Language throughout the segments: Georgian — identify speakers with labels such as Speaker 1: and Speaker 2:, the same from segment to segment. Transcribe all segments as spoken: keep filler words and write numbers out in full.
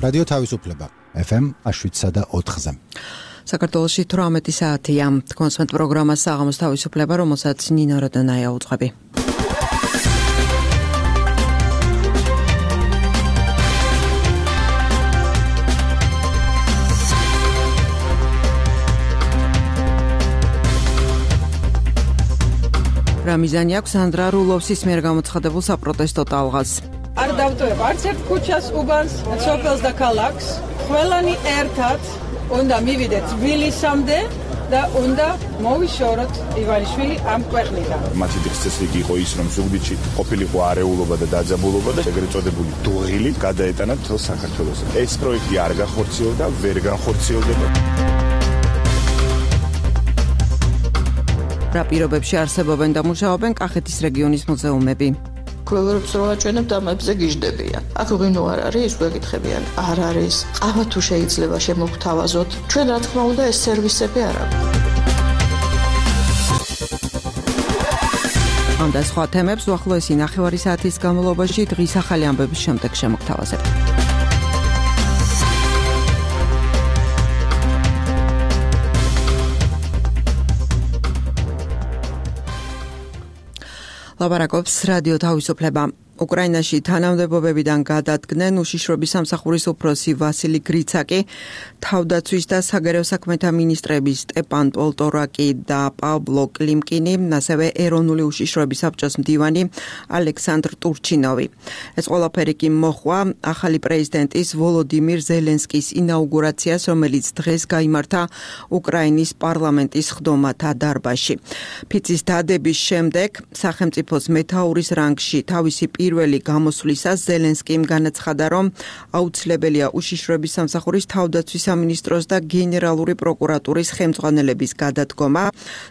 Speaker 1: რადიო თავისუფლება ეფ ემ შვიდსა და ოთხზე.
Speaker 2: საქართველოში თვრამეტი საათია. კონსვენტ პროგრამას საღამოს თავისუფლება, რომელსაც ნინო როდონაია უძღვები. რა მიზანი აქვს ანდრა რულოვსის მიერ გამოცხადებულ საპროტესტო ტალღას?
Speaker 3: არ დავტოვებ არც ერთ ქუჩას, უბანს, სოფელს და ქალაქს. ყველანი ერთად უნდა მივიდეთ თბილისამდე და უნდა მოვიშოროთ ივანიშვილი ამ ქვეყნიდან.
Speaker 4: მათი წესრიგი იყო ის, რომ ზუგდიდში ყოფილიყო არეულობა და დაძაბულობა და ეგრეთ წოდებული დუღილი გადაეტანათ მთელ საქართველოს. ეს პროექტი არ გახორციელდა, ვერ განხორციელდება.
Speaker 2: რა პირობებში არსებობენ და მუშაობენ კახეთის რეგიონის მუზეუმები?
Speaker 5: ქლევერებს რო აჩვენებთ ამებზე გიждდებიან. აქ ღვინო არ არის, გვეკითხებიან. არ არის. ყავა თუ შეიძლება შემოგთავაზოთ. ჩვენ რა თქმა უნდა ეს სერვისები არ აქვს.
Speaker 2: ამ და სხვა თემებს უახლოესი ნახევარი საათის განმავლობაში დღის ახალი ამბების შემდეგ შემოგთავაზებთ. ლაპარაკობს რადიო თავისუფლება. უკრაინაში თანამდებობებიდან გადადგნენ უშიშროების სამსახურის უფროსი ვასილი გრიცაკი, თავდაცვის და საგარეო საქმეთა მინისტრები სტეპან პოლტორაკი და პავლო კლიმკინი, ასევე ეროვნული უშიშროების საბჭოს მდივანი ალექსანდრ ტურჩინოვი. ეს ყველაფერი კი მოხვა ახალი პრეზიდენტის ვოლოდიმირ ზელენსკის ინაუგურაციას, რომელიც დღეს გაიმართა უკრაინის პარლამენტის ხდომათა დარბაზში. ფიცის დადების შემდეგ სახელმწიფოს მეთაურის რანგში თავისი პირველი გამოსვლისას ზელენსკიმ განაცხადა, რომ აუცილებელია უშიშროების სამსახურის თავდაცვის სამინისტროს და გენერალური პროკურატურის ხელმძღვანელების გადადგომა.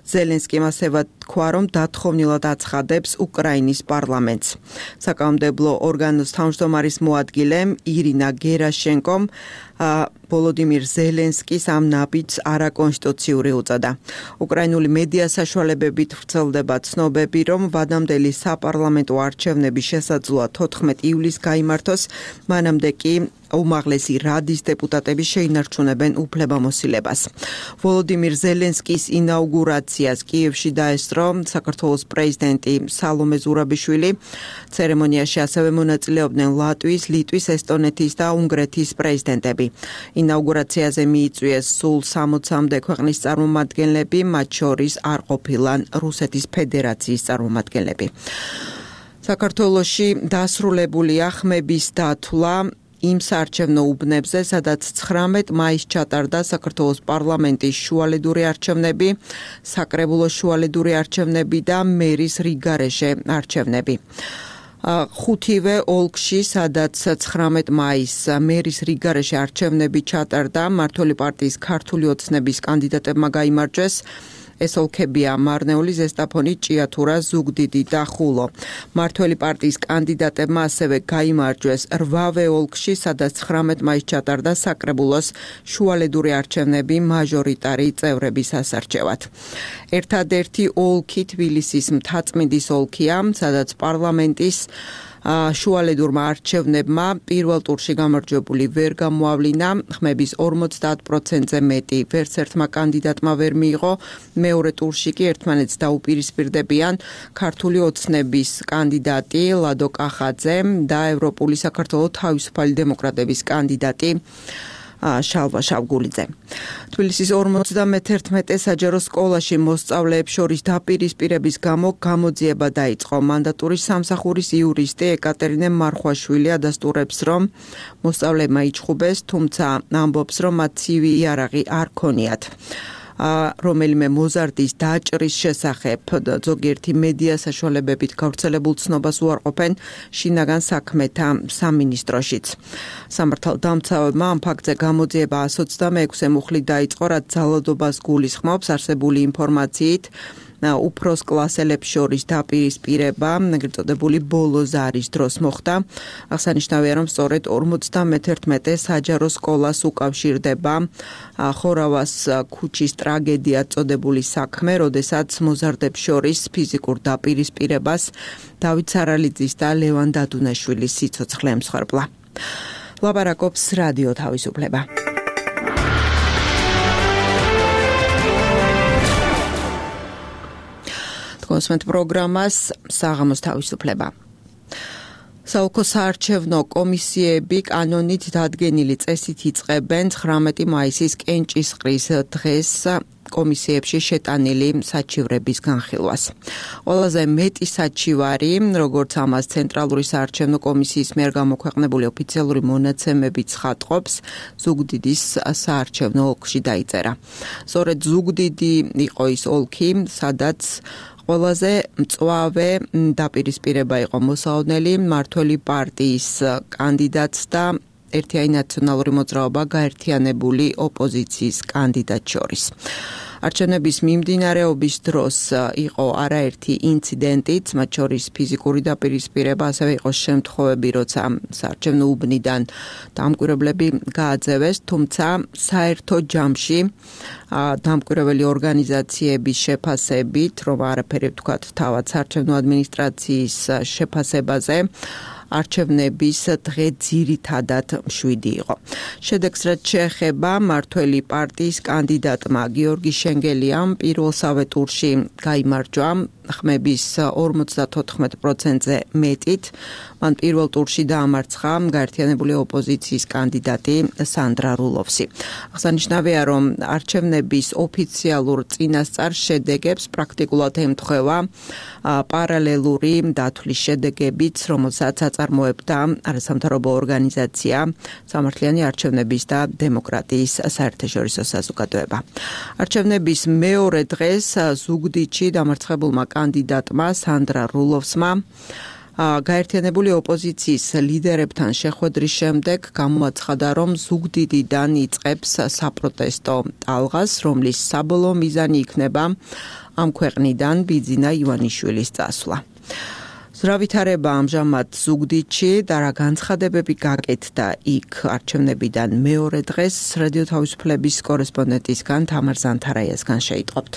Speaker 2: ზელენსკიმ ასევე თქვა, რომ დათხოვნილად აცხადებს უკრაინის პარლამენტს. საკანონმდებლო ორგანოს თავმჯდომარის მოადგილემ ირინა გერაშენკომ ვოლოდიმირ ზელენსკის ამ ნაბიჯს არაკონსტიტუციური უწოდა. უკრაინული მედია საშუალებებით ვრცელდება ცნობები, რომ ვადამდელი საპარლამენტო არჩევნების შესაძლოა თოთხმეტი ივლისს გაიმართოს, მანამდე კი უმაღლესი რადის დეპუტატები შეინარჩუნებენ უფლებამოსილებას. ვოლოდიმირ ზელენსკის ინაუგურაციას კიევში დაესწრო საქართველოს პრეზიდენტი სალომე ზურაბიშვილი. ცერემონიაში ასევე მონაწილეობდნენ ლატვიის, ლიტვის, ესტონეთის და უნგრეთის პრეზიდენტები. ინაუგურაციაზე მიიწვიეს სულ სამოცამდე ქვეყნის წარმომადგენლები, მათ შორის არ ყოფილან რუსეთის ფედერაციის წარმომადგენლები. საქართველოში დასრულებულია ხმების დათვლა იმ საარჩევნო უბნებზე, სადაც ცხრამეტ მაისს ჩატარდა საქართველოს პარლამენტის შუალედური არჩევნები, საკრებულოს შუალედური არჩევნები და მერის რიგარეშე არჩევნები. ხუთივე ოლქში, სადაც ცხრამეტ მაისს მერის რიგარეშე არჩევნები ჩატარდა, მმართველი პარტიის ქართული ოცნების კანდიდატებმა გაიმარჯვეს. ეს ოლქებია მარნეული, ზესტაფონი, ჭიათურა, ზუგდიდი და ხულო. მმართველი პარტიის კანდიდატებმა ასევე გაიმარჯვეს რვავე ოლქში, სადაც ცხრამეტ მაისს ჩატარდა საკრებულოს შუალედური არჩევნები მაჟორიტარი წევრების ასარჩევად. ერთადერთი ოლქი თბილისის მთაწმინდის ოლქია, სადაც პარლამენტის შუალედურმა არჩევნებმა პირველ ტურში გამარჯვებული ვერ გამოავლინა, ხმების ორმოცდაათ პროცენტზე მეტი ვერც ერთმა კანდიდატმა ვერ მიიღო, მეორე ტურში კი ერთმანეთს დაუპირისპირდებიან ქართული ოცნების კანდიდატი ლადო კახაძე და ევროპული საქართველოს თავისუფალი დემოკრატების კანდიდატი შალვა შავგულიძე. თბილისის ორმოცდამეთერთმეტე საჯარო სკოლაში მოსწავლეებს შორის დაპირისპირების გამო გამოძიება დაიწყო. მანდატურის სამსახურის იურისტი ეკატერინე მარხვაშვილი ადასტურებს, რომ მოსწავლეებმა იჩხუბეს, თუმცა ამბობს, რომ მათ ცივი იარაღი არ ქონიათ. რომელიმე მოზარდის დაჭრის შესახებ ზოგიერთი მედია საშუალებებით გავრცელებულ ცნობას უარყოფენ შინაგან საქმეთა სამინისტროშიც. სამართალდამცავებმა ამ ფაქტზე გამოძიება εκατო ოცდამექვსე მუხლით დაიწყო, რაც ძალადობას გულისხმობს. არსებული ინფორმაციით უფროს კლასელებს შორის დაპირისპირება, ეგრეთ წოდებული ბოლო ზარის დროს მოხდა. აღსანიშნავია, რომ სწორედ ორმოცდამეთერთმეტე საჯარო სკოლას უკავშირდება ხორავას ქუჩის ტრაგედია წოდებული საქმე, როდესაც მოზარდებს შორის ფიზიკურ დაპირისპირებას დავით სარალიძის და ლევან დადუნაშვილის სიცოცხლე ემსხვერპლა. ლაპარაკობს რადიო თავისუფლება. კონსმენტ პროგრამას საღამოს თავისუფლება. საოლქო საარჩევნო კომისიები კანონით დადგენილი წესით იწყებენ ცხრამეტი მაისის კენჭისყრის დღეს კომისიებში შეტანილი საჩივრების განხილვას. ყველაზე მეტი საჩივარი, როგორც ამას ცენტრალური საარჩევნო კომისიის მიერ გამოქვეყნებული ოფიციალური მონაცემები ცხადყოფს, ზუგდიდის საარჩევნო ოლქში დაიწერა. სწორედ ზუგდიდი იყო ის ოლქი, სადაც ყველაზე მწვავე დაპირისპირება იყო მოსაოდნელი მმართველი პარტიის კანდიდატს და ერთიანი ნაციონალური მოძრაობა გაერთიანებული ოპოზიციის კანდიდატს შორის. არჩევნების მიმდინარეობის დროს იყო არაერთი ინციდენტიც, მათ შორის ფიზიკური დაპირისპირება, ასევე იყო შემთხვევები, როცა საარჩევნო უბნიდან დამკვირვებლები გააძევეს, თუმცა საერთო ჯამში დამკვირვებელი ორგანიზაციების შეფასებით, რომ არაფერი ვთქვათ თავად საარჩევნო ადმინისტრაციის შეფასებაზე, არჩევნების დღე ძირითადად მშვიდი იყო. შედეგს რაც შეეხება მმართველი პარტიის კანდიდატმა გიორგი შენგელიამ პირველსავე ტურში გაიმარჯვა ხმების ორმოცდათოთხმეტ პროცენტზე მეტით. მან პირველ ტურში დაამარცხა გაერთიანებული ოპოზიციის კანდიდატი სანდრა რულოვსი. აღსანიშნავია, რომ არჩევნების ოფიციალურ წინასწარ შედეგებს პრაქტიკულად ემთხვევა პარალელური დათვლის შედეგებიც, რომელსაც აწარმოებდა არასამთავრობო ორგანიზაცია სამართლიანი არჩევნების და დემოკრატიის საერთაშორისო საზოგადოება. არჩევნების მეორე დღეს ზუგდიდში დამარცხებულმა კანდიდატმა სანდრა რულოვსმა გაერთიანებული ოპოზიციის ლიდერებთან შეხვედრის შემდეგ გამოაცხადა, რომ ზუგდიდიდან იწყებს საპროტესტო ტალღას, რომლის საბოლოო მიზანი იქნება ამ ქვეყნიდან ბიძინა ივანიშვილის წასვლა. ზრავითარება ამჟამად ზუგდიდში და რა განცხადებები გაკეთდა იქ არჩევნებიდან მეორე დღეს რადიო თავისუფლების კორესპონდენტისგან თამარ ზანთარაიასგან შეიტყობთ.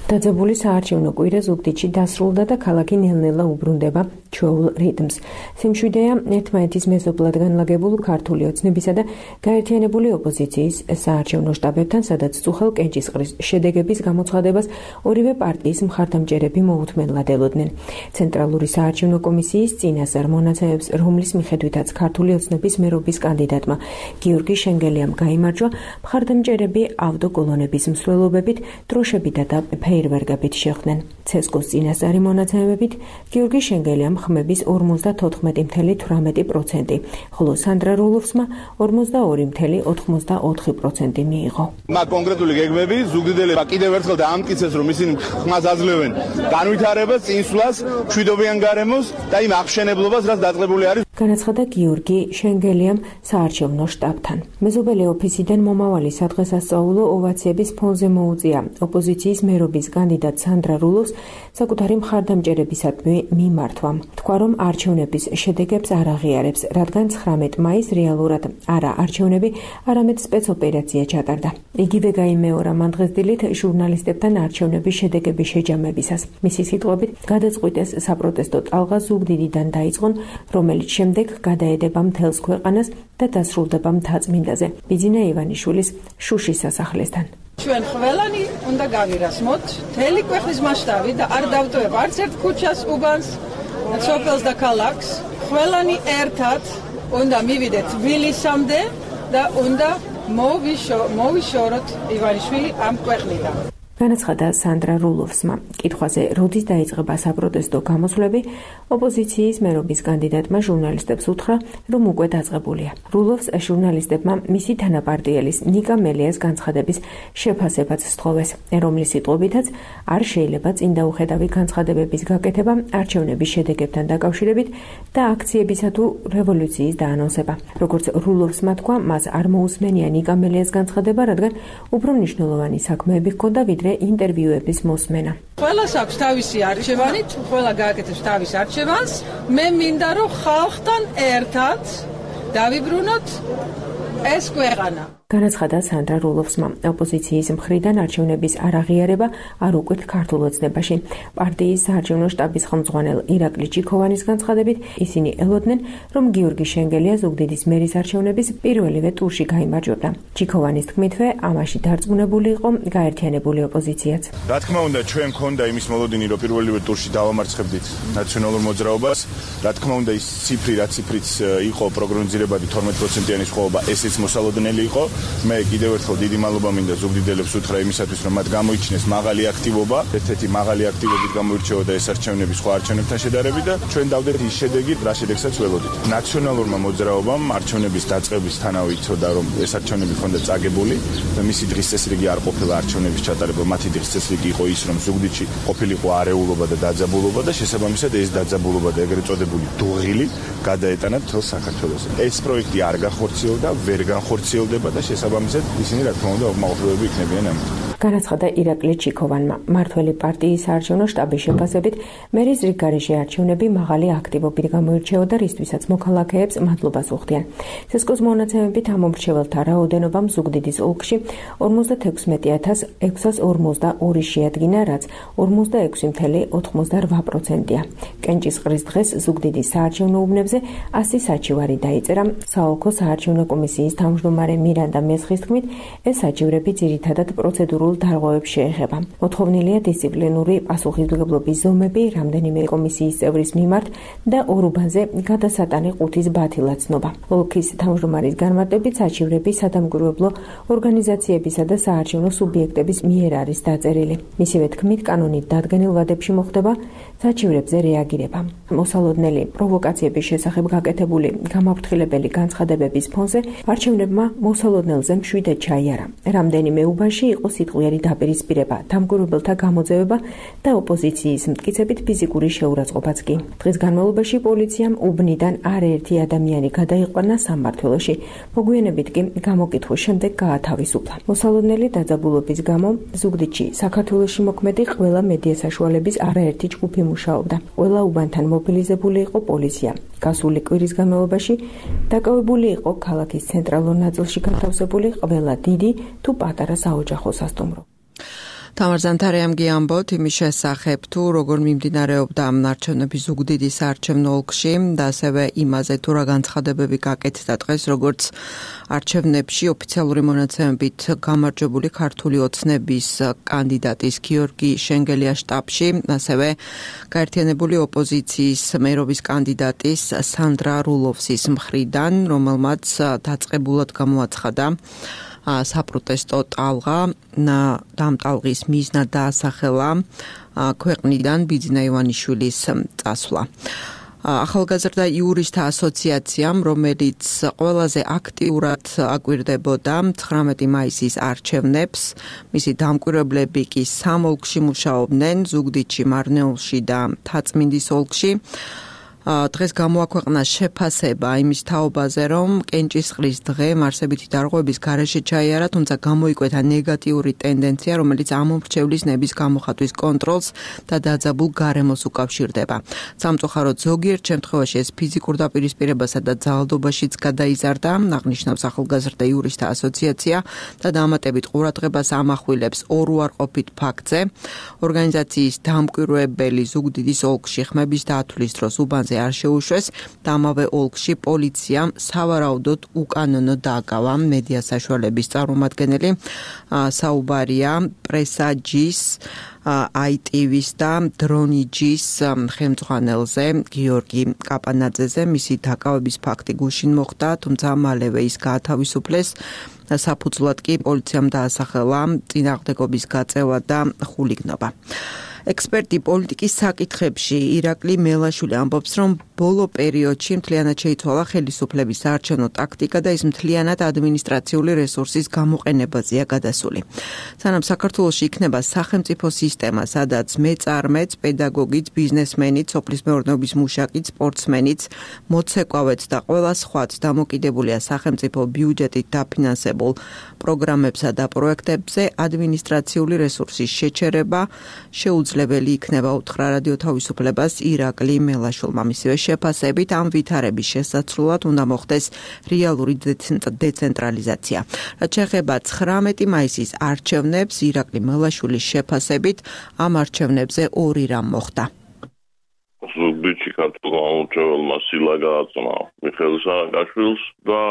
Speaker 6: დაძაბული საარჩევნო კვირა ზუგდიდში დასრულდა და ქალაქი ნელ-ნელა უბრუნდება ჩვეულ რიტმს. სიმშვიდეა ერთმანეთის მეზობლად განლაგებულ ქართული ოცნებისა და გაერთიანებული ოპოზიციის საარჩევნო შტაბებთან, სადაც წუხელ კენჭისყრის შედეგების გამოცხადებას ორივე პარტიის მხარდამჭერები მოუთმენლად ელოდნენ. ცენტრალური საარჩევნო კომისიის წინასწარ მონაცემებს, რომლის მიხედვითაც ქართული ოცნების მერობის კანდიდატმა გიორგი შენგელიამ გაიმარჯვა, მხარდამჭერები ავტოკოლონების მსვლელობებით, დროშებითა და ფეირვერგებით შეხვდნენ. ცესკოს წინასწარი მონაცემებით გიორგი შენგელიამ ხმების ორმოცდათოთხმეტი წუთი თვრამეტი პროცენტი, ხოლო სანდრა რულოვსმა ორმოცდაორი წუთი ოთხმოცდაოთხი პროცენტი მიიღო.
Speaker 7: მა კონკრეტული გეგმები ზუგდიელებმა კიდევ ერთხელ დაამტკიცეს, რომ ისინი ხმას აძლევენ განვითარებას, წინსვლას, მშვიდობიან გარემოს და იმ აღშენებლობას, რაც დაწყებული არის.
Speaker 6: განაცხადა გიორგი შენგელიამ საარჩევნო შტაბთან. მეზობელი ოფისიდან მომავალი სადღესასწაულო ოვაციების ფონზე მოუწია ოპოზიციის მერობის კანდიდატ სანდრა რულოვს საკუთარი მხარდამჭერებისადმი მიმართვამ. თქვა, რომ არჩევნების შედეგებს არ აღიარებს, რადგან ცხრამეტ მაისს რეალურად არა არჩევნები, არამედ სპეცოპერაცია ჩატარდა. იგივე გაიმეორა მან დღეს დილით ჟურნალისტებთან არჩევნების შედეგების შეჯამებისას. მისი სიტყვებით, გადაწყვიტეს საპროტესტო ტალღა ზუგდიდიდან დაიწყონ, რომელიც შემდეგ გადაედება მთელს ქვეყანას და დასრულდება მთაწმინდაზე, ბიძინა ივანიშვილის შუშის სასახლესთან.
Speaker 3: ჩვენ ყველანი უნდა გავირასმოთ მთელი ქვეყნის მასშტაბით და არ დავტოვებ არც ერთ ქუჩას, უბანს, სოფელს და ქალაქს. ყველანი ერთად უნდა მივიდეთ თბილისამდე და უნდა მოვიშოროთ ივანიშვილი ამ ქვეყნიდან.
Speaker 6: განაცხადა სანდრა რულოვსმა. კითხვაზე, როდის დაიწყება საპროტესტო გამოსვლები, ოპოზიციის მერობის კანდიდატმა ჟურნალისტებს უთხრა, რომ უკვე დაწყებულია. რულოვს ჟურნალისტებმა მისი თანაპარტიელის ნიკა მელიას განცხადების შეფასებაც სთხოვეს, რომლის სიტყვებითაც არ შეიძლება წინდაუხედავი განცხადებების გაკეთება არჩევნების შედეგებთან დაკავშირებით და აქციებისა თუ რევოლუციის დაანონსება. როგორც რულოვსმა თქვა, მას არ მოусმენია ნიკა მელიას განცხადება, რადგან უფრო მნიშვნელოვანი საქმეები ჰქონდა ვიდრე ინტერვიუების მოსმენა.
Speaker 3: ყველას აქვს თავისი არჩევანი, ყველა გააკეთებს თავის არჩევანს. მე მინდა რომ ხალხთან ერთად დავიბრუნოთ ეს ქვეყანა.
Speaker 6: განაცხადა სანდრა რულოვსმა. ოპოზიციის მხრიდან არჩევნების არაღიარება არ უკვირთ ქართულ ოცნებაში. პარტიის საარჩევნო შტაბის ხელმძღვანელ ირაკლი ჩიქოვანის განცხადებით, ისინი ელოდნენ, რომ გიორგი შენგელია ზუგდიდის მერის არჩევნების პირველივე ტურში გაიმარჯვებდა. ჩიქოვანის თქმითვე, ამაში დარწმუნებული იყო გაერთიანებული ოპოზიციაც.
Speaker 4: რა თქმა უნდა, ჩვენ გქონდა იმის მოლოდინი, რომ პირველივე ტურში დავამარცხებდით ნაციონალურ მოძრაობას. რა თქმა უნდა, ის ციფრი, რა ციფრიც იყო პროგნოზირებადი თორმეტ პროცენტიანი სხვაობა, ესეც მოსალოდნელი იყო. მე კიდევ ერთხელ დიდი მადლობა მინდა ზუგდიდელებს უთხრა იმისათვის, რომ მათ გამოიჩინეს მაღალი აქტივობა, ერთ-ერთი მაღალი აქტივობით გამოირჩეოდა ეს არჩევნები სხვა არჩევნებთან შედარებით და ჩვენ დავდეთ ის შედეგი, რა შედეგსაც ველოდით. ნაციონალურმა მოძრაობამ არჩევნების დაწყებისთანავე იცოდა, რომ ეს არჩევნები ხონდა წაგებული და მისი დღის წესრიგი არ ყოფილა არჩევნების ჩატარება. მათი დღის წესრიგი იყო ის, რომ ზუგდიდში ყოფილიყო არეულობა და დაძაბულობა და შესაბამისად ეს დაძაბულობა და ეგრეთ წოდებული დუღილი გადაეტანათ მთელ საქართველოს. ეს პროექტი არ განხორციელდა, ვერ განხორციელდება და შესაბამისად ისინი რა თქმა უნდა უკმაყოფილოები იქნებიან ამით.
Speaker 6: განაცხადა ირაკლი ჩიქოვანმა. მართველი პარტიის საარჩევნო შტაბის შეფასებით, მერის რიგგარეშე არჩევნები მაღალი აქტივობით გამოირჩეოდა, რისთვისაც მოქალაქეებს მადლობას უხდიან. სესკოს მონაცემებით ამ მომრჩეველთა რაოდენობამ ზუგდიდის ოლქში ორმოცდათექვსმეტი ათას ექვსას ორმოცდაორი შეადგინა, რაც ორმოცდაექვსი ფاصლე ოთხმოცდარვა პროცენტია. კენჭისყრის დღეს ზუგდიდის საარჩევნო უბნებზე ასი საჩივარი დაიწერა. საოლქო საარჩევნო კომისიის თავმჯდომარე მირანდა მესხის თქმით, ეს საჩივრები ძირითადად პროცედურულ დარღვევებს შეეხება. მოთხოვნილია დისციპლინური პასუხისმგებლობის ზომები რამდენიმე კომისიის წევრის მიმართ და ორ უბანზე გადასატანი ყუთის ბათილაცნობა. ოლქის თავმჯდომარის განმარტებით საჩივრები სადამკვირვებლო ორგანიზაციებისა და საარჩევნო სუბიექტების მიერ არის დაწერილი. მისივე თქმით, კანონით დადგენილ ვადებში მოხდება საჩივრებზე რეაგირება. მოსალოდნელი პროვოკაციების შესახებ გაკეთებული გამაფრთხილებელი განცხადებების ფონზე არჩევნებმა მოსალოდნელზე მშვიდად ჩაიარა. რამდენიმე უბანში იყო სიტყვიერი დაპირისპირება, დამკვირვებელთა გამოძევება და ოპოზიციის მტკიცებით ფიზიკური შეურაცხყოფაც კი. დღის განმავლობაში პოლიციამ უბნიდან არაერთი ადამიანი გადაიყვანა სამმართველოში. მოგვიანებით კი გამოკითხვის შემდეგ გაათავისუფლა. მოსალოდნელი დაძაბულობის გამო ზუგდიდში საქართველოში მოქმედი ყველა მედია საშუალების არაერთი ჯგუფი მუშაობდა. ყველა უბანთან მობილიზებული იყო პოლიცია. გასული კვირის განმავლობაში დაკავებული იყო ქალაქის ცენტრალურ ნაწილში განთავსებული ყველა დიდი თუ პატარა საოჯახო სასტუმრო.
Speaker 2: თამარ ზანთარიამ გიამბოთ იმის შესახებ, თუ როგორ მიმდინარეობდა არჩევნები ზუგდიდის საარჩევნო ოლქში და ასევე იმაზე, თუ რა განცხადებები გაკეთდა დღეს, როგორც არჩევნებში ოფიციალური მონაცემებით გამარჯვებული ქართული ოცნების კანდიდატის გიორგი შენგელიას შტაბში, ასევე გაერთიანებული ოპოზიციის მერობის კანდიდატის სანდრა რულოვსის მხრიდან, რომელმაც დაწყებულად გამოაცხადა საპროტესტო ტალღა და ამ ტალღის მიზნად დაასახელა ქვეყნიდან ბიძინა ივანიშვილის წასვლა. ახალგაზრდა იურისტთა ასოციაციამ, რომელიც ყველაზე აქტიურად აკვირდებოდა ცხრამეტი მაისის არჩევნებს, მისი დამკვირვებლები კი სამ ოლქში მუშაობდნენ, ზუგდიდში, მარნეულში და თაწმინდის ოლქში. დღეს გამოაქვეყნა შეფასება იმის თაობაზე, რომ კენჭისყრის დღე მარსებითი დარღვევების გარეშე ჩაიარა, თუმცა გამოიკვეთა ნეგატიური ტენდენცია, რომელიც ამომრჩევლის ნების გამოხატვის კონტროლს და დაძაბულ გარემოს უკავშირდება. სამწუხაროდ ზოგიერთ შემთხვევაში ეს ფიზიკურ დაპირისპირებასა და ძალადობაშიც გადაიზარდა, აღნიშნავს ახალგაზრდა იურისტთა ასოციაცია და დამატებით ყურადღებას ამახვილებს ორ უარყოფით ფაქტზე. ორგანიზაციის დამკვირვებელი ზუგდიდის ოლქში ხმების დათვლის დროს უბანზე არ შეუშვეს და ამავე ოლქში პოლიციამ სავარაუდოდ უკანონო დააკავა მედია საშუალების წარმომადგენელი. საუბარია პრესაჯის აი ტი ვის და დრონიჯის ხელმძღვანელზე გიორგი კაპანაძეზე. მისი დაკავების ფაქტი გუშინ მოხდა, თუმცა მალევე ის გაათავისუფლეს. საფუძვლად კი პოლიციამ დაასახელა წინააღმდეგობის გაწევა და ხულიგნობა. ექსპერტი პოლიტიკის საკითხებში ირაკლი მელაშვილი ამბობს, რომ ბოლო პერიოდში მთლიანად შეიცვალა ხელისუფლების საარჩევნო ტაქტიკა და ის მთლიანად ადმინისტრაციული რესურსის გამოყენებაზეა გადასული. სანამ საქართველოში იქნება სახელმწიფო სისტემა, სადაც მეწარმეც, პედაგოგიც, ბიზნესმენიც, სოფლის მეურნეობის მუშაკიც, სპორტსმენიც, მოცეკვავეც და ყველა სხვაც დამოკიდებულია სახელმწიფო ბიუჯეტით დაფინანსებულ პროგრამებსა და პროექტებზე, ადმინისტრაციული რესურსის შეჩერება შეუძლია შეუძლებელი იქნება, უთხრა რადიო თავისუფლებას ირაკლი მელაშვილმა. მისივე შეფასებით ამ ვითარების შესაძლებლად უნდა მოხდეს რეალური დეცენტრალიზაცია. რაც შეეხება ცხრამეტი მაისის არჩევნებს, ირაკლი მელაშვილის შეფასებით ამ არჩევნებზე ორი რამ მოხდა.
Speaker 8: ზუგდიდში ქართულმა მომრჩეველმა სილა გააწმა მიხეილ სააკაშვილს და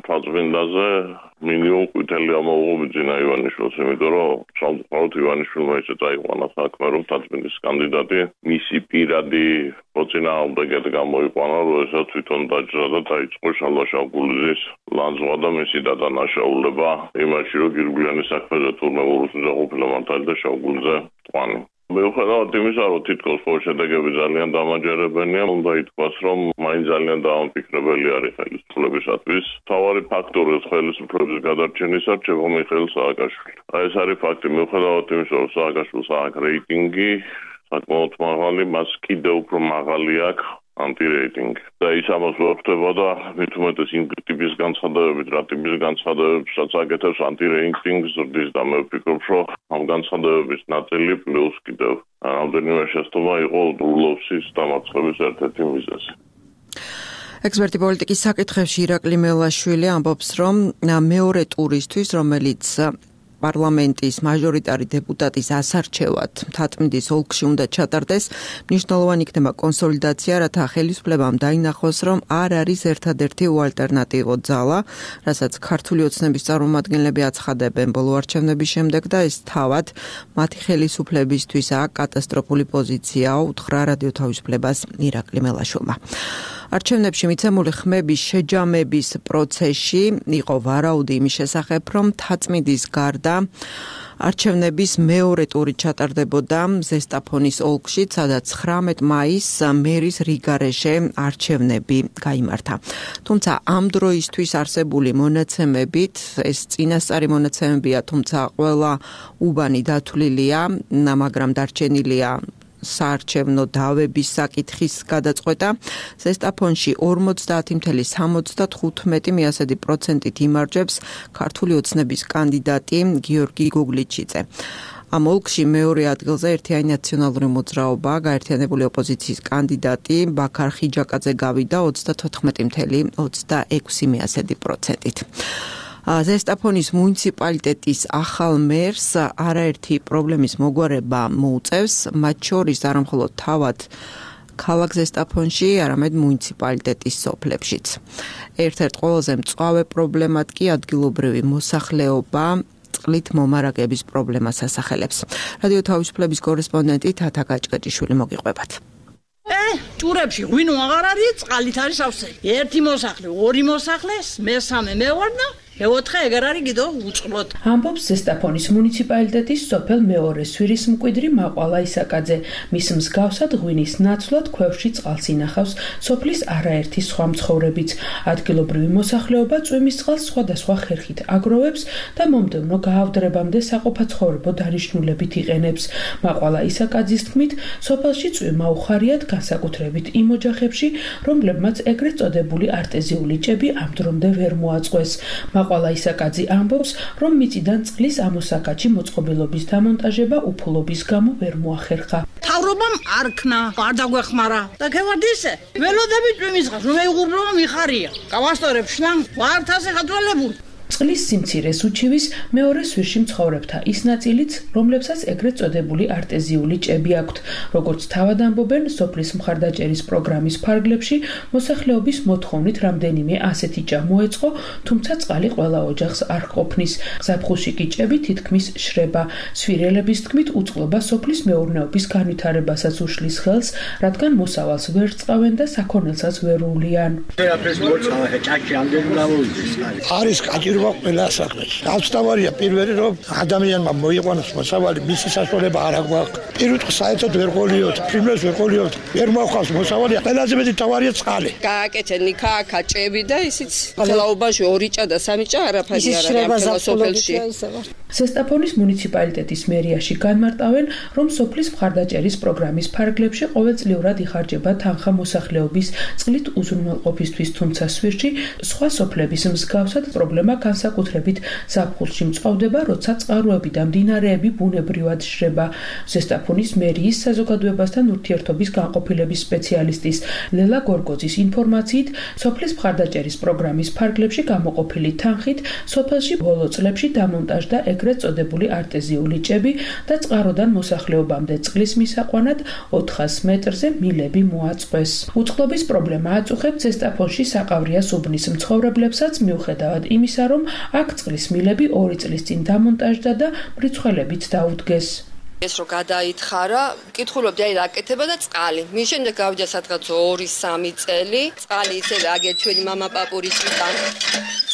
Speaker 8: თაწმინდაზე მინიმუმ ყვითელი ამოუღებიძინა ივანიშვილს, იმიტომ რომ სამწუხაროდ ივანიშვილმა ისე წაიყვანა საქმე, რომ თაწმინდის კანდიდატი მისი პირადი მოწინააღმდეგედ გამოიყვანა, როდესაც თვითონ დაჯდა და დაიწყო შალვა შავგულიძის ლანძღვა და მისი დადანაშაულება იმაში, რომ გირგვლიანის საქმეზე თურმე ურუსნიძე ყოფილა მართალი და შავგულიძე მწვანე. მიუხედავად იმისა, რომ თითქოს ხო შედეგები ძალიან დამაჯერებელია, უნდა ითქვას, რომ მაინც ძალიან დაამფიქრებელი არის ხელისუფლებისათვის. მთავარი ფაქტორი ხელისუფლების გადარჩენის არჩევა მიხეილ სააკაშვილი. აი ეს არის ფაქტი, მიუხედავად იმისა, რომ სააკაშვილს აქვს რეიტინგი, საკმაოდ მაღალი, მას კიდევ უფრო მაღალი აქვს ანტირეიტინგი. და ის ამას ვაფრთხება და მით უმეტეს იმ ტიპის განცხადებებით, რა ტიპის განცხადებებსაც აკეთებს ანტირეიტინგს ზრდის და მე ვფიქრობ, რომ ამ განცხადებების ნაწილი პლუს კიდევ რამდენიმე შეცდომა იყო ურლოვსის დამარცხების ერთ-ერთი მიზეზი.
Speaker 2: ექსპერტი პოლიტიკის საკითხებში ირაკლი მელაშვილი ამბობს, რომ მეორე ტურისთვის, რომელიც პარლამენტის მაჟორიტარი დეპუტატის ასარჩევად თათმიდის ოლქში უნდა ჩატარდეს, მნიშვნელოვანი იქნება კონსოლიდაცია, რათა ხელისუფლებამ დაინახოს, რომ არ არის ერთადერთი უალტერნატივო ძალა, რასაც ქართული ოცნების წარმომადგენლები აცხადებენ ბოლო არჩევნების შემდეგ და ეს თავად მათი ხელისუფლებისთვისაა კატასტროფული პოზიცია, უთხრა რადიო თავისუფლებას ირაკლი მელაშვილმა. არჩევნებში მიცემული ხმების შეჯამების პროცესში იყო ვარაუდი იმის შესახებ, რომ თაწმინდის გარდა არჩევნების მეორე ტური ჩატარდებოდა ზესტაფონის ოლქში, სადაც ცხრამეტ მაისს მერის რიგარეშე არჩევნები გაიმართა. თუმცა ამ დროისთვის არსებული მონაცემებით, ეს წინასწარი მონაცემებია, თუმცა ყველა უბანი დათვლილია, მაგრამ დარჩენილია საარჩევნო დავების საკითხის გადაწყვეტა. ზესტაფონში ორმოცდაათი წუთი სამოცდათხუთმეტი პროცენტით იმარჯვებს ქართული ოცნების კანდიდატი გიორგი გოგლიჩიძე. ამ ოლქში მეორე ადგილზე ერთიანი ნაციონალური მოძრაობა, გაერთიანებული ოპოზიციის კანდიდატი ბაქარ ხიჯაკაძე გავიდა ოცდათოთხმეტი ოცდაექვსი პროცენტით. ზესტაფონის მუნიციპალიტეტის ახალ მერს არაერთი პრობლემის მოგვარება მოუწევს, მათ შორის არა მხოლოდ თავად ქალაქ ზესტაფონში, არამედ მუნიციპალიტეტის სოფლებშიც. ერთ-ერთ ყველაზე მწვავე პრობლემად კი ადგილობრივი მოსახლეობა წყლით მომარაგების პრობლემას ასახელებს. რადიო თავისუფლების კორესპონდენტი თათა გაჭკაჭიშვილი მოგიყვებათ.
Speaker 9: ე, ჭურებში ღვინო აღარ არის, წყალით არის ავსელი. ერთი მოსახლე, ორი მოსახლე, მესამე მევარდა მეოთხე ეგარ არის კიდო უწყლოდ.
Speaker 10: ამბობს ზესტაფონის მუნიციპალიტეტის სოფელ მეორე სვირის მკვიდრი მაყვალა ისაკაძე. მის მსგავსად ღვინის ნაცვლად ქვევში წყალს ინახავს სოფლის არაერთი სხვა მცხოვრებიც. ადგილობრივი მოსახლეობა წვიმის წყალს სხვადასხვა ხერხით აგროვებს და მომდევნო გაავდრებამდე საყოფაცხოვრებო დანიშნულებით იყენებს. მაყვალა ისაკაძის თქმით, სოფელში წვიმა უხარიათ განსაკუთრებით იმ ოჯახებში, რომლებმაც ეგრეთ წოდებული არტეზიული ჭები ამ დრომდე ვერ მოაწყვეს. მაყვალა ისაკაძე ამბობს, რომ მიწიდან წყლის ამოსაკაჩი მოწყობილობის დამონტაჟება უფლობის გამო ვერ მოახერხა.
Speaker 9: თავრობამ არ ქნა, არ დაგვეხმარა. და ქევარდ ისე, ველოდები წვიმის წყალს, რომ ეუღურბლობა მიხარია. გავასწორებ შლამ, ვართ ასე ხატველებული.
Speaker 10: წყლის სიმცირეს უჩივის მეორე სვირში მცხოვრებთა ის ნაწილიც, რომლებსაც ეგრეთ წოდებული არტეზიული ჭები აქვთ. როგორც თავად ამბობენ, სოფლის მხარდაჭერის პროგრამის ფარგლებში მოსახლეობის მოთხოვნით რამდენიმე ასეთი ჭა მოეწყო, თუმცა წყალი ყველა ოჯახს არ ყოფნის. ზაფხულში კი ჭები თითქმის შრება. სვირელების თქმით, უწყლობა სოფლის მეურნეობის განვითარებასაც უშლის ხელს, რადგან მოსავალს ვერ წყავენ და საქონელსაც ვერ უვლიან.
Speaker 11: არის კაჭირვა ყველა საქმეში. ავსტავარია პირველი, რომ ადამიანმა მოიყვანოს მოსავალი, მისი საშუალება არ აქვს. პირველ რიგში საერთოდ ვერ ყოლიოთ, ფრინველს ვერ ყოლიოთ, ვერ მოხავს მოსავალი, ყველაზე მეტი თავარია წყალი.
Speaker 12: გააკეთე ნიქა, ჭები და ისიც ხლაობაში ორი ჭა და სამი ჭა არაფერი არ არის ამ სოფელში.
Speaker 10: ზესტაფონის მუნიციპალიტეტის მერიაში განმარტავენ, რომ სოფლის მხარდაჭერის პროგრამის ფარგლებში ყოველწლიურად იხარჯება თანხა მოსახლეობის წყლით უზრუნველყოფისთვის, თუმცა სვირში სხვა სოფლების მსგავსად პრობლემა განსაკუთრებით ზაფხულში მწყავდება, როცა წყაროები და მდინარეები ბუნებრივად შრება. ზესტაფონის მერიის საზოგადოებასთან ურთიერთობის განყოფილების სპეციალისტის ლელა გორგოძის ინფორმაციით, სოფლის მხარდაჭერის პროგრამის ფარგლებში გამოყოფილი თანხით სოფელში ბოლო წლებში დამონტაჟდა ეგრეთ წოდებული არტეზიული ჭები და წყაროდან მოსახლეობამდე წყლის მისაყვანად ოთხას მეტრზე მილები მოაწყვეს. უწყლობის პრობლემა აწუხებს ზესტაფონში საყავრიას უბნის მცხოვრებლებსაც, მიუხედავად იმისა, რომ აქ წყლის მილები ორი წლის წინ დამონტაჟდა და მრიცხველებით დაუდგეს.
Speaker 13: ეს რო გადაითხარა, მკითხულობდი აი რაკეთება და წყალი. მის შემდეგ გავიდა სადღაც ორი სამი წელი, წყალი ისევე აგერ ჩვენი мама პაპურის წიდან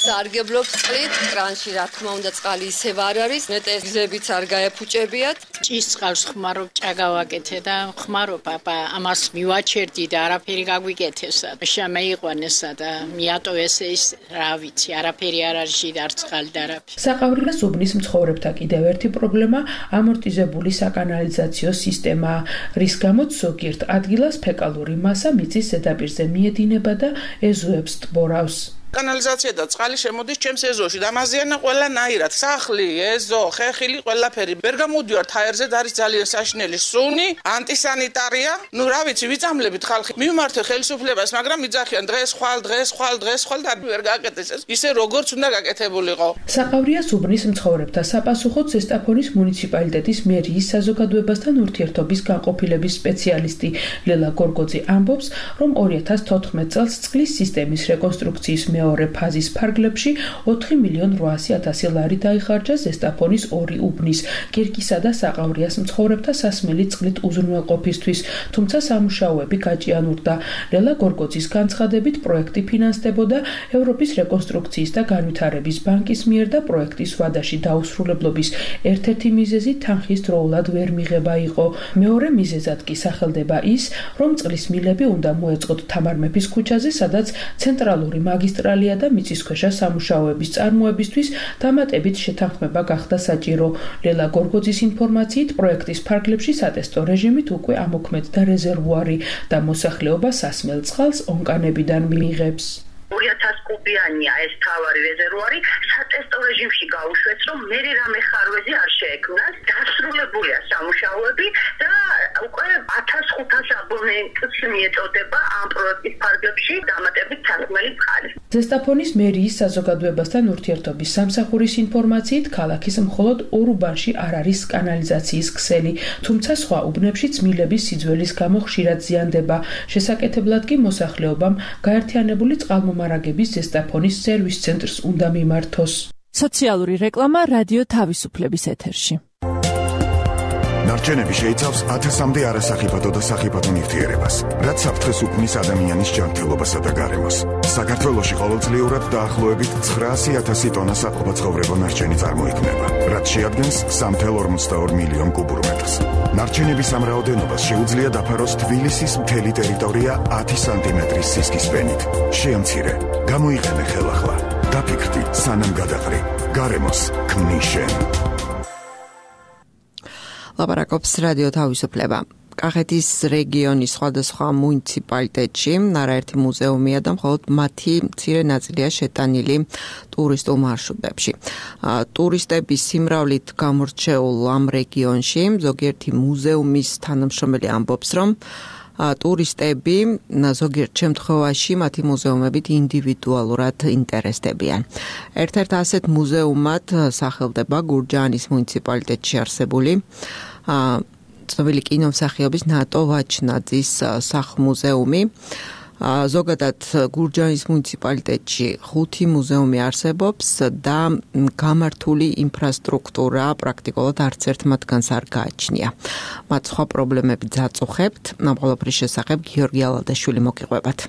Speaker 13: სარგებლობს წყლით, კრანში რა თქმა უნდა წყალი ისევ არ არის, ნეტეზებიც არ გაეფუჭებიათ.
Speaker 14: ჭის წყალს ხმარო ჭაგავაკეთე და ხმარო პაპა, ამას მივაჩერდი და არაფერი გაგვიკეთესა. შემეიყვანესა და მიატოვეს ეს, რა ვიცი, არაფერი არ არის და არ წყალი და არაფერი.
Speaker 10: საყავრიას უბნის მცხოვრებთა კიდევ ერთი პრობლემა ამორტიზებული საკანალიზაციო სისტემა, რის გამოც ზოგიერთ ადგილას ფეკალური მასა მიწის ზედაპირზე მიედინება და ეზოებს ტბორავს.
Speaker 15: კანალიზაცია და წყალი შემოდის ჩემს ეზოში და ამაზიანა ყველანაირად. სახლი, ეზო, ხეხილი, ყველაფერი. ვერ გამოდივართ ჰაერზე და არის ძალიან საშინელი სუნი, ანტისანიტარია. ნუ რა ვიცი, ვიწამლებით ხალხი. მივმართე ხელისუფლებას, მაგრამ იძახიან დღეს ხვალ, დღეს ხვალ, დღეს ხვალ და ვერ გააკეთეს ეს. ისე როგორც უნდა გაკეთებულიყო.
Speaker 10: საყავრიას უბნის მცხოვრებთა საპასუხოდ ზესტაფონის მუნიციპალიტეტის მერიის საზოგადოებასთან ურთიერთობის განყოფილების სპეციალისტი ლელა გორგოძე ამბობს, რომ ორი ათას თოთხმეტ წელს წყლის სისტემის რეკონსტრუქციის მეორე ფაზის ფარგლებში ოთხი მილიონი რვაასი ათასი ლარი დაიხარჯა ზესტაფონის ორი უბნის, კირკისა და საყავრიას მცხოვრებთა სასმელი წყლით უზრუნველყოფისთვის, თუმცა სამუშაოები გაჭიანურდა. ლელა გორგოძის განცხადებით, პროექტი ფინანსდებოდა ევროპის რეკონსტრუქციის და განვითარების ბანკის მიერ და პროექტის ვადაში დაუსრულებლობის ერთ-ერთი მიზეზი თანხის დროულად ვერ მიღება იყო. მეორე მიზეზად კი სახელდება ის, რომ წყლის მილები უნდა მოეწყოთ თამარ მეფის ქუჩაზე, სადაც ცენტრალური მაგისტრალია და მიწისქვეშა სამუშაოების წარმოებისთვის დამატებით შეთანხმება გახდა საჭირო. ლელა გორგოძის ინფორმაციით, პროექტის ფარგლებში სატესტო რეჟიმით უკვე ამოქმედდა რეზერვუარი და მოსახლეობა სასმელ წყალს ონკანებიდან მიიღებს.
Speaker 16: ორი ათას კუბიანია ეს თავარი რეზერვუარი, სატესტო რეჟიმში გაუშვეს, რომ მე რამე ხარვეზი არ შეექმნას, დასრულებულია სამუშაოები და უკვე ათას ხუთას აბონენტს მიეწოდება ამ პროექტის ფარგლებში დამატებით თარგმნელი წყალი.
Speaker 10: ზესტაფონის მერიის საზოგადოებასთან ურთიერთობის სამსახურის ინფორმაციით, ქალაქის მხოლოდ ორ უბანში არ არის კანალიზაციის ქსელი, თუმცა სხვა უბნებშიც მილების სიძველის გამო ხშირად ზიანდება. შესაკეთებლად კი მოსახლეობამ გაერთიანებული წყალმომარაგების ზესტაფონის სერვის ცენტრს უნდა მიმართოს.
Speaker 17: სოციალური რეკლამა რადიო თავისუფლების ეთერში.
Speaker 18: ნარჩენები შეიცავს ათასამდე არასახიფათო და სახიფათო ნივთიერებას, რაც საფრთხეს უქმნის ადამიანის ჯანმრთელობასა და გარემოს. საქართველოში ყოველწლიურად დაახლოებით ცხრაასი ათასი ტონა საყოფაცხოვრებო ნარჩენი წარმოიქმნება, რაც შეადგენს სამი წუთი ორმოცდაორ მილიონ კუბურ მეტრს. ნარჩენების ამ რაოდენობას შეუძლია დაფაროს თბილისის მთელი ტერიტორია ათი სანტიმეტრის სისქის ფენით. შეამცირე, გამოიყენე ხელახლა. დაფიქრდი, სანამ გადაყრი. გარემოს ქმნის შენ.
Speaker 2: ლაპარაკობს რადიო თავისუფლება. კახეთის რეგიონის სხვადასხვა მუნიციპალიტეტში არაერთი მუზეუმია და მხოლოდ მათი მცირე ნაწილია შეტანილი ტურისტულ მარშრუტებში. ტურისტების სიმრავლით გამორჩეულ ამ რეგიონში ზოგიერთი მუზეუმის თანამშრომელი ამბობს, რომ ტურისტები ზოგიერთ შემთხვევაში მათი მუზეუმებით ინდივიდუალურად ინტერესდებიან. ერთ-ერთ ასეთ მუზეუმად სახელდება გურჯაანის მუნიციპალიტეტში არსებული ცნობილი კინომსახიობის ნატო ვაჩნაძის სახლ-მუზეუმი. ზოგადად გურჯაანის მუნიციპალიტეტში ხუთი მუზეუმი არსებობს და გამართული ინფრასტრუქტურა პრაქტიკულად არც ერთ მათგანს არ გააჩნია. მათ სხვა პრობლემები ძაწუხებთ. ამ ყველაფრის შესახებ გიორგი ალადაშვილი მოგიყვებათ.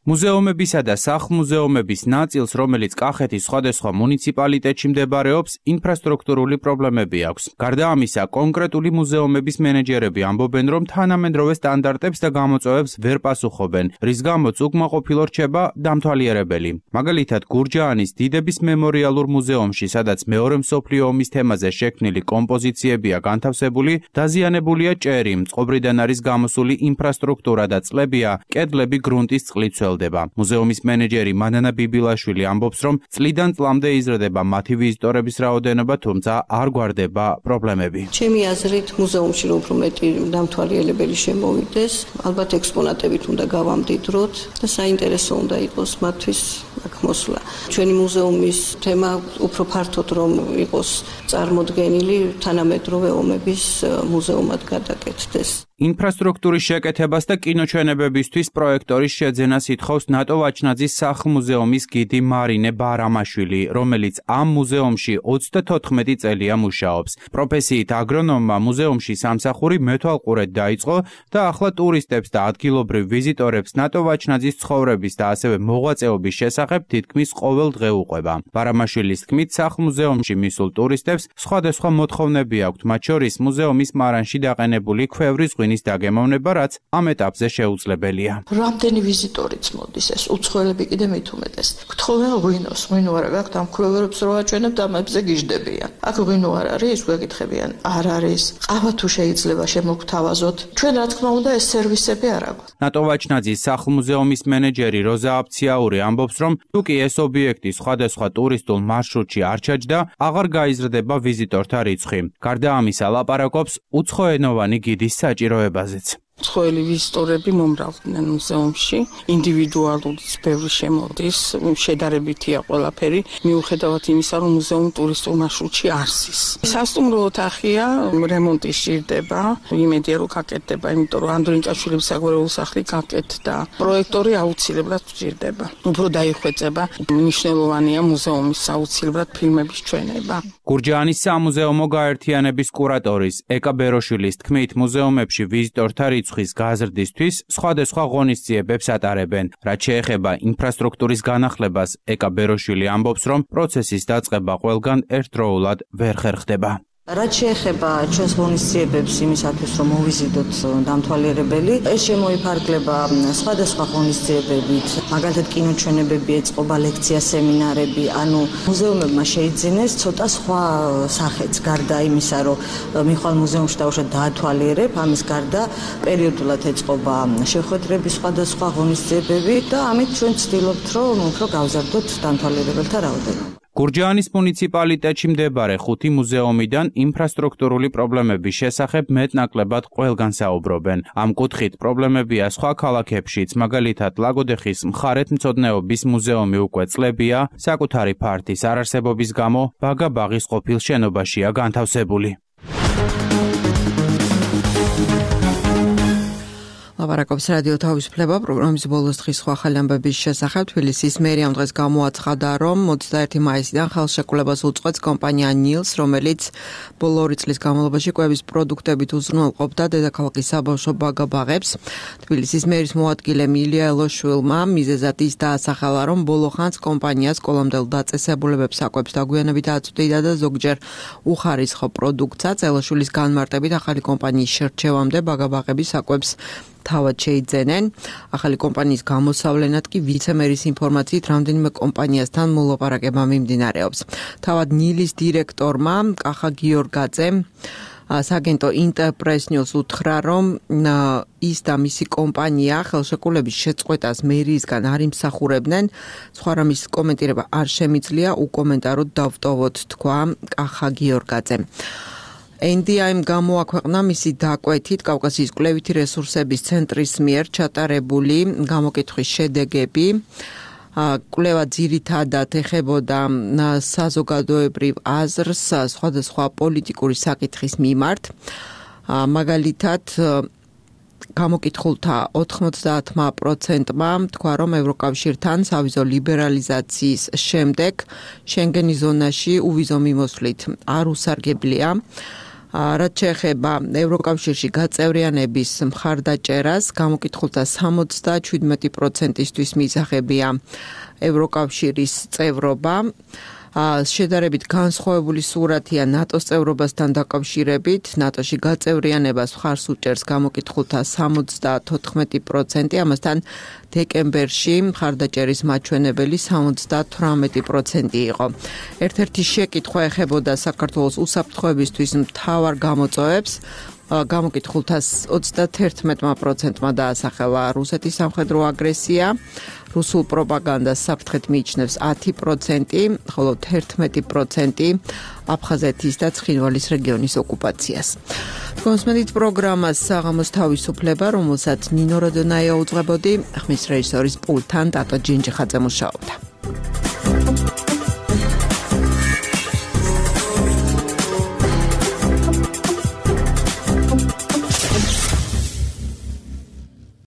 Speaker 19: მუზეუმებისა და სახლ-მუზეუმების ნაწილს, რომელიც კახეთის სხვადასხვა მუნიციპალიტეტში მდებარეობს, ინფრასტრუქტურული პრობლემები აქვს. გარდა ამისა, კონკრეტული მუზეუმების მენეჯერები ამბობენ, რომ თანამედროვე სტანდარტებს და გამოწვევებს ვერ პასუხობენ, რის გამოც უკმაყოფილო რჩება დამთვალიერებელი. მაგალითად, გურჯაანის დიდების მემორიალურ მუზეუმში, სადაც მეორე მსოფლიო ომის თემაზე შექმნილი კომპოზიციებია განთავსებული, დაზიანებულია ჭერი, მწყობრიდან არის გამოსული ინფრასტრუქტურა და წყლებია, კედლები გრუნტის წყლით სველ. ვრცელდება. მუზეუმის მენეჯერი მანანა ბიბილაშვილი ამბობს, რომ წლიდან წლამდე იზრდება მათი ვიზიტორების რაოდენობა, თუმცა არ გვარდება პრობლემები.
Speaker 5: ჩემი აზრით, მუზეუმში უფრო მეტი დამთვალიერებელი შემოვიდეს, ალბათ ექსპონატებით უნდა გავამდიდროთ და საინტერესო უნდა იყოს მათთვის აქ მოსვლა. ჩვენი მუზეუმის თემა უფრო ფართოდ რომ იყოს წარმოდგენილი თანამედროვე ომების მუზეუმად გადაკეთდეს.
Speaker 19: ინფრასტრუქტურის შეკეთებას და კინოჩვენებებისთვის პროექტორის შეძენას ითხოვს ნატო ვაჩნაძის სახლ-მუზეუმის გიდი მარინე ბარამაშვილი, რომელიც ამ მუზეუმში ოცდათოთხმეტი წელია მუშაობს. პროფესიით აგრონომმა მუზეუმში სამსახური მეთვალყურედ დაიწყო და ახლა ტურისტებს და ადგილობრივ ვიზიტორებს ნატო ვაჩნაძის ცხოვრების და ასევე მოღვაწეობის შესახებ თითქმის ყოველ დღე უყვება. ბარამაშვილის თქმით, სახლ-მუზეუმში მისულ ტურისტებს სხვადასხვა მოთხოვნები აქვთ, მათ შორის მუზეუმის მარანში დაყენებული ქვევრის ღვინის დაგემოვნება, რაც ამ ეტაპზე შეუძლებელია.
Speaker 5: რამდენი ვიზიტორიც მოდის, ეს უცხოელები კიდე მით უმეტეს. გთხოვენ ღვინოს, ღვინო არა გაქვთ, ამ ქვევერებს რო აჩვენებთ, ამებზე გიждდებიან. აქ ღვინო არ არის, გვეკითხებიან, არ არის. ყავა თუ შეიძლება შემოგთავაზოთ. ჩვენ რა თქმა უნდა ეს სერვისები არ აქვს.
Speaker 19: ნატო ვაჩნაძის სახლ-მუზეუმის მენეჯერი როზა აბციაური ამბობს, რომ თუ კი ეს ობიექტი სხვადასხვა ტურისტულ მარშრუტში არ ჩაჯდა, აღარ გაიზრდება ვიზიტორთა რიცხვი. გარდა ამისა, ლაპარაკობს უცხოენოვანი გიდის საჭიროებაზეც.
Speaker 20: უცხოელი ვიზიტორები მომრავლდნენ მუზეუმში, ინდივიდუალურიც ბევრი შემოდის, შედარებითია ყველაფერი, მიუხედავად იმისა, რომ მუზეუმი ტურისტულ მარშრუტში არსის. სასტუმრო ოთახია, რემონტი სჭირდება, იმედია რომ გაკეთდება, იმიტომ რომ ანდრონიკაშვილების საგვარეულო სახლი გაკეთდა. პროექტორი აუცილებლად სჭირდება. უფრო დაიხვეწება, მნიშვნელოვანია მუზეუმის აუცილებლად ფილმების ჩვენება.
Speaker 19: გურჯაანის სამუზეუმო გაერთიანების კურატორის ეკა ბეროშვილის თქმით, მუზეუმებში ვიზიტორთა რიცხვის გაზრდისთვის სხვადასხვა ღონისძიებებს ატარებენ. რაც შეეხება ინფრასტრუქტურის განახლებას, ეკა ბეროშვილი ამბობს, რომ პროცესის დაწყება ყველგან ერთდროულად ვერ ხერხდება.
Speaker 5: რაც შეეხება ჩვენს ღონისძიებებს იმისათვის, რომ მოვიზიდოთ დამთვალიერებელი, ეს შემოიფარგლება სხვადასხვა ღონისძიებებით, მაგალითად კინოჩვენებები ეწყობა, ლექცია, სემინარები, ანუ მუზეუმებმა შეიძინეს ცოტა სხვა სახეც, გარდა იმისა, რომ მიხვალ მუზეუმში დავუშვათ დაათვალიერებ, ამის გარდა პერიოდულად ეწყობა შეხვედრები, სხვადასხვა ღონისძიებები და ამით ჩვენ ვცდილობთ, რომ უფრო გავზარდოთ დამთვალიერებელთა რაოდენობა.
Speaker 19: გურჯაანის მუნიციპალიტეტში მდებარე ხუთი მუზეუმიდან ინფრასტრუქტურული პრობლემების შესახებ მეტნაკლებად ყველგან საუბრობენ. ამ კუთხით პრობლემებია სხვა ქალაქებშიც, მაგალითად ლაგოდეხის მხარეთმცოდნეობის მუზეუმი უკვე წლებია, საკუთარი ფართის არარსებობის გამო ბაგაბაღის ყოფილ შენობაშია განთავსებული.
Speaker 2: ლაპარაკობს რადიო თავისუფლება პროგრამის ბოლოს დღის სხვა ახალი ამბების შესახებ. თბილისის მერიამ დღეს გამოაცხადა, რომ ოცდაერთი მაისიდან ხელშეკრულებას უწყვეტს კომპანია ნილს, რომელიც ბოლო ორი წლის განმავლობაში კვების პროდუქტებით უზრუნველყოფდა დედაქალაქის საბავშვო ბაგაბაღებს. თბილისის მერის მოადგილე მილია ელოშვილმა მიზეზად ის დაასახელა, რომ ბოლო ხანს კომპანია სკოლამდელ დაწესებულებებს საკვებს დაგვიანებით აწვდიდა და ზოგჯერ უხარისხო პროდუქტსაც. ელოშვილის განმარტებით ახალი კომპანიის შერჩევამდე ბაგაბაღების საკვებს თავად შეიძენენ. ახალი კომპანიის გამოსავლენად კი ვიცემერის ინფორმაციით რამდენიმე კომპანიასთან მოლაპარაკება მიმდინარეობს. თავად ნილის დირექტორმა კახა გიორგაძემ საგენტო ინტერპრეს ნიუს უთხრა, რომ ის და მისი კომპანია ხელშეკრულების შეწყვეტას მერიისგან არ იმსახურებდნენ. სხვა რამის კომენტირება არ შემიძლია, უკომენტაროდ დავტოვოთ, თქვა კახა გიორგაძემ. ენ დი აიმ გამოაქვეყნა მისი დაკვეთით კავკასიის კვლევითი რესურსების ცენტრის მიერ ჩატარებული გამოკითხვის შედეგები. კვლევა ძირითადად ეხებოდა საზოგადოებრივ აზრს სხვადასხვა პოლიტიკური საკითხის მიმართ. მაგალითად, გამოკითხულთა ოთხმოცდაათმა პროცენტმა თქვა, რომ ევროკავშირთან სავიზო ლიბერალიზაციის შემდეგ შენგენის ზონაში უვიზო მიმოსვლით არ უსარგებლია. რაც შეეხება ევროკავშირში გაწევრიანების მხარდაჭერას, გამოკითხულთა სამოცდაშვიდმეტი პროცენტისთვის მისაღებია ევროკავშირის წევრობა. შედარებით განსხვავებული სურათია ნატოს წევრობასთან დაკავშირებით. ნატოში გაწევრიანებას მხარს უჭერს გამოკითხულთა სამოცდათოთხმეტი პროცენტი, ამასთან დეკემბერში მხარდაჭერის მაჩვენებელი სამოცდათვრამეტი პროცენტი იყო. ერთ-ერთი შეკითხვა ეხებოდა საქართველოს უსაფრთხოებისთვის მთავარ გამოწვევებს. გამოკითხულთას ოცდათერთმეტ პროცენტმა დაასახელა რუსეთის სამხედრო აგრესია. რუსულ პროპაგანდას საფრთხეთ მიიჩნევს ათი პროცენტი, ხოლო თერთმეტი პროცენტი აფხაზეთის და ცხინვალის რეგიონის ოკუპაციას. კონსმედით პროგრამას საღამოს თავისუფლება, რომელსაც ნინო როდონაია უძღვებოდი, ხმის რეჟისორის პულტთან ტატო ჯინჯიხაძე მუშაობდა.